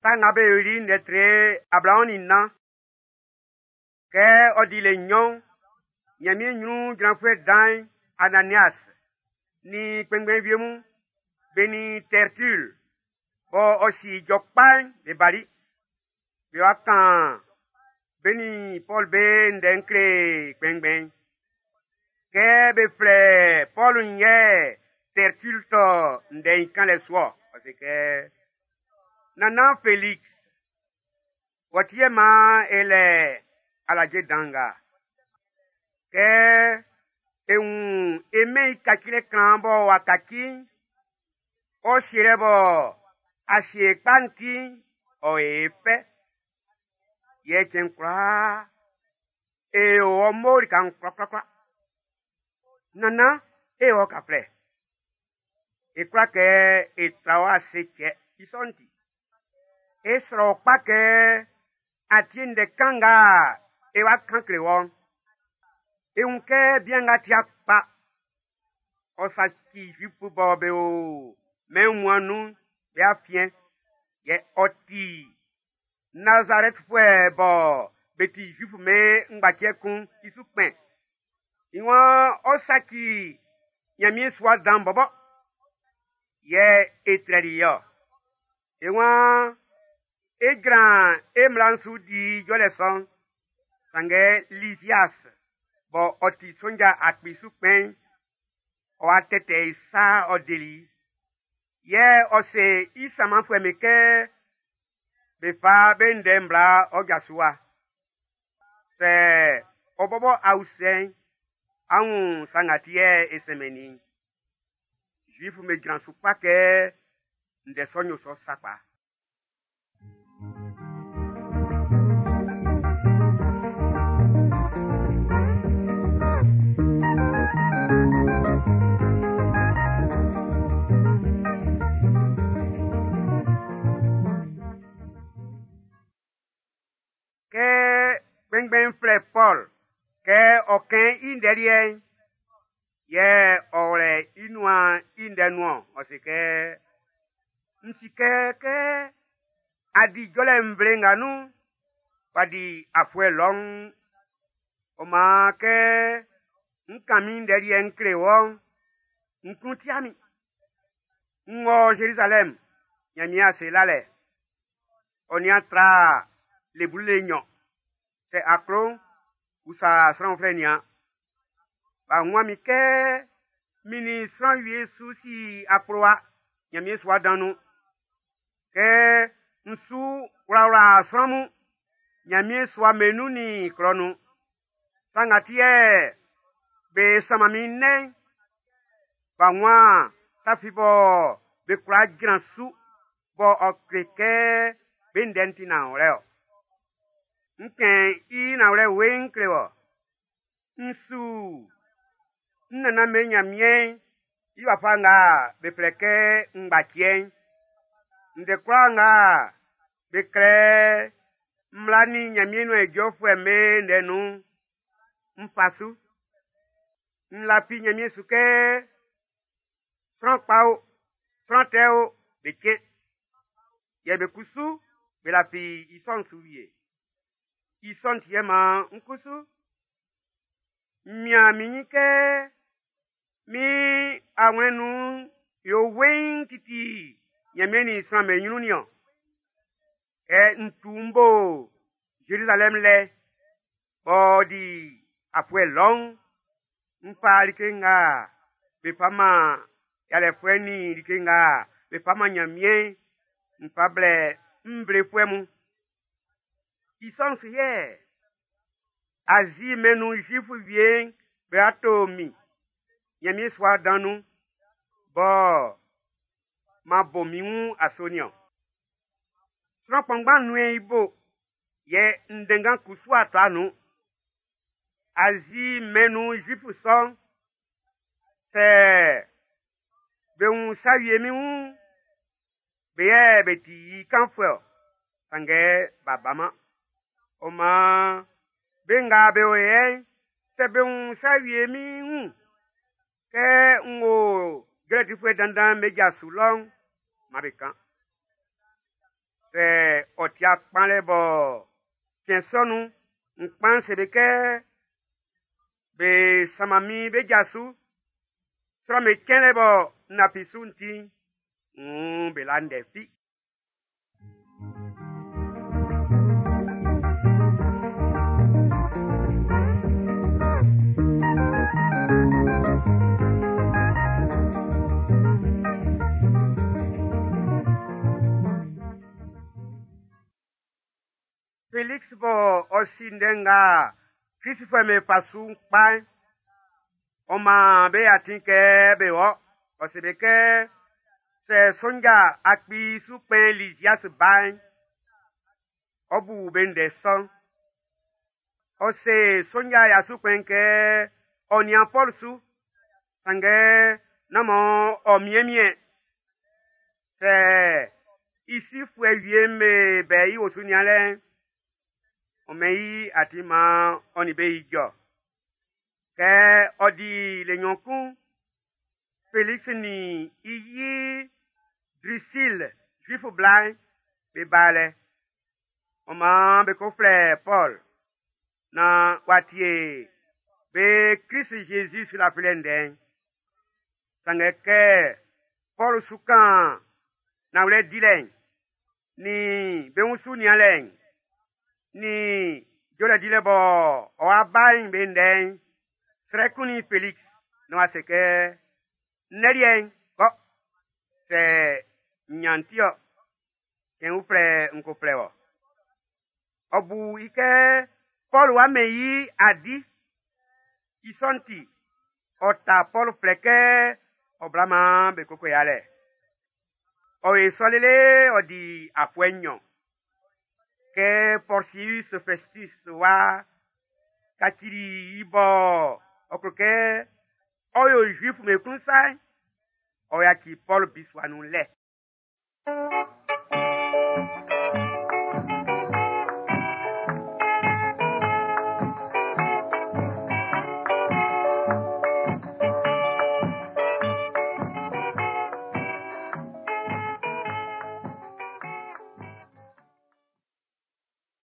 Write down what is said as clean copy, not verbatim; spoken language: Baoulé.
Sa Nga Be Yoli'n ndɛ tre 24. Kɛ ɔ di le nɲɔn'n, Ɲanmiɛn ɲrun jranfuɛ dan'n Ananias nin kpɛnngbɛn wie mun, be nin Tɛrtul bɔ ɔ si ijɔ kpa'n be bali. Be wa kan be nin Pɔl be ndɛ'n kle kpɛnngbɛn'n. Kɛ be flɛ Pɔl'n yɛ Tɛrtul tɔ ndɛ'n i kanlɛ su-ɔ. Ɔ se kɛ, Nannan Felix, wɔ ti yɛ man e lɛ alaje dan nga. Kɛ e wun e mɛn i kacilɛ kan b'ɔ wa kaci'n, ɔ sielɛ bɔ a sie kpa'n ti'n, ɔ e fɛ. Yɛ cɛn kwlaa, e o ɔ mo lika'n kwlakwlakwla. Nannan, e wɔ kaflɛ. E kwla kɛ e tra wɔ ase cɛ i sɔ'n ti. E srɛ wɔ kpa kɛ a tie ndɛ kan nga e wa kan kle wɔ'n. E wun kɛ bian nga tia kpa. Ɔ saci Zuifu bɔ be o mɛn wunmuan'n nun'n be afiɛn. Yɛ ɔ ti Nazarɛtfuɛ bɔ be ti Zuifu be ngbaciɛ kun i su kpɛn. I waan ɔ saci Nyanmiɛn sua dan bɔbɔ. Yɛ e trɛli i-ɔ. E waan e jran e mmla'n su di jɔlɛ sɔ'n. Sanngɛ Lisias bɔ ɔ ti sonja akpi su kpɛn'n, ɔ'a tɛtɛ i sa ɔ deli i. Yɛ ɔ se i sanmanfuɛ'm be kɛ be fa be ndɛ'n bla ɔ ja su wa. Sɛ ɔ bɔbɔ a usɛ'n, á wun sa nga ti yɛ e sɛnmɛnnin i'n. Zuif'm be jran su kpa kɛ ndɛ sɔ'n yo sɔ sakpa. Kɛ kpɛnngbɛn'n flɛ Pɔl kɛ ɔ kɛn i ndɛ liɛ'n, yɛ ɔ wlɛ i nuan i ndɛ nun-ɔn, ɔ se kɛ, N si kɛ kɛ a di jɔlɛ nvle nga nun'n, w'a di afuɛ lɔun. Ɔ maan kɛ n kan min ndɛ liɛ'n n kle wɔ'n, n klun tia min. N wɔ Zerizalɛm Nyanmiɛn ase lalɛ. Ɔ nian tra le blu le nnyɔn. Sɛ a klo'n, usa sran uflɛ nian. B'a wun min kɛ min nin sran wie su si akplowa Nyanmiɛn sua dan nun. Kɛ n su wlawla sran mun Nyanmiɛn sua me nun nin klɔ nun. Sa nga ti yɛ be sanman min nnɛn'n, b'a wun sa fi bɔ be kwla jran su bɔ ɔ kle kɛ be ndɛ'n ti nanwlɛ-ɔ. N kɛn i nanwlɛ weiin kle wɔ. N su n nannan be Nyanmiɛn'n i wafa nga be flɛ kɛ ngbaciɛ'n. Ndɛ kwlaa nga be klɛ mmla nin Nyanmiɛn nuan ijɔfuɛ'm be ndɛ nun'n, n fa su. N lafi Nyanmiɛn su kɛ sran kpa o, sran tɛ o, be cɛn. Yɛ be kusu be lafi i sɔ'n su wie. I sɔ'n ti yɛ man n kusu n mian min nyin kɛ min awlɛn nun yo weiin titi Nyanmiɛn nin sran'm be nyrun nin-ɔn. Kɛ n tu m bo Zerizalɛm lɛ, b'ɔ di afuɛ lɔun, n fa like nga be fa man yalɛfuɛ nin like nga be fa man Nyanmiɛn'n, n fa blɛ nvlefuɛ mun. I sɔ'n su yɛ Azi mɛn'n nun Zuifu wie'n be wa to min Nyanmiɛn sua dan nun, bɔ m'an bo min wun aso nin-ɔn. Sran kpanngban nuen i bo, yɛ ndɛnngan kusu a tɔ nun. Azi mɛn'n nun Zuifu sɔ'n, sɛ be wun sa wie min wun'n, be yɛ be ti i kanfuɛ-ɔ, sanngɛ b'a baman. Ɔ maan be nga be o yɛ'n, sɛ be wun sa wie min wun, kɛ n wo jɔlɛ difuɛ dandan'm be ja su lɔ'n, man be kan. Sɛ tia kpanlɛ bɔ cɛn sɔ nun'n, n kpan se be kɛ be sanman min be ja su. Sran'm be cɛnlɛ bɔ n lafi su'n ti'n, wuun be la ndɛ fi. Felix bɔ ɔ si ndɛ nga Kristfuɛ'm be fa su'n kpa'n, ɔ man be atin kɛ be wɔ. Ɔ se be kɛ, sɛ sonja akpi su kpɛn Lisias ba'n, ɔ bu be ndɛ sɔ'n. Ɔ se sonja ya su kpɛn'n kɛ ɔ nian Pɔl su, sanngɛ nán man ɔ miɛnmiɛn. Sɛ i sifuɛ wie'm be bɛ i osu nianlɛ'n, ɔ mɛn i atin man ɔ nin be ijɔ. Kɛ ɔ di le nɲɔn kun'n, Felix nin i yi Drusil, Zuif bla'n, be ba lɛ. Ɔ maan be ko flɛ Pɔl naan w'a tie be Krist Jésus sulafilɛ ndɛ'n. Sanngɛ kɛ Pɔl su kan nanwlɛ dilɛ'n, nin be wun su nianlɛ'n, nin jɔlɛ dilɛ bɔ ɔ'a ba'n be ndɛ'n, srɛ kunnin Felix naan w'a se kɛ, Ndɛ liɛ'n, kɔ, sɛ n nyan ti-ɔ, cɛn uflɛ n ko flɛ wɔ. Ɔ bu i kɛ Pɔl w'a mɛn i adi. I sɔ'n ti, ɔ ta Pɔl flɛ kɛ ɔ bla maan be koko yalɛ. Ɔ yo sɔ lele ɔ di afuɛ nɲɔn. Kɛ Porsius Festus wa kacili i bɔ ɔ klo kɛ ɔ yo Zuif'm be klun sa'n, ɔ yaci Pɔl bisua nun lɛ.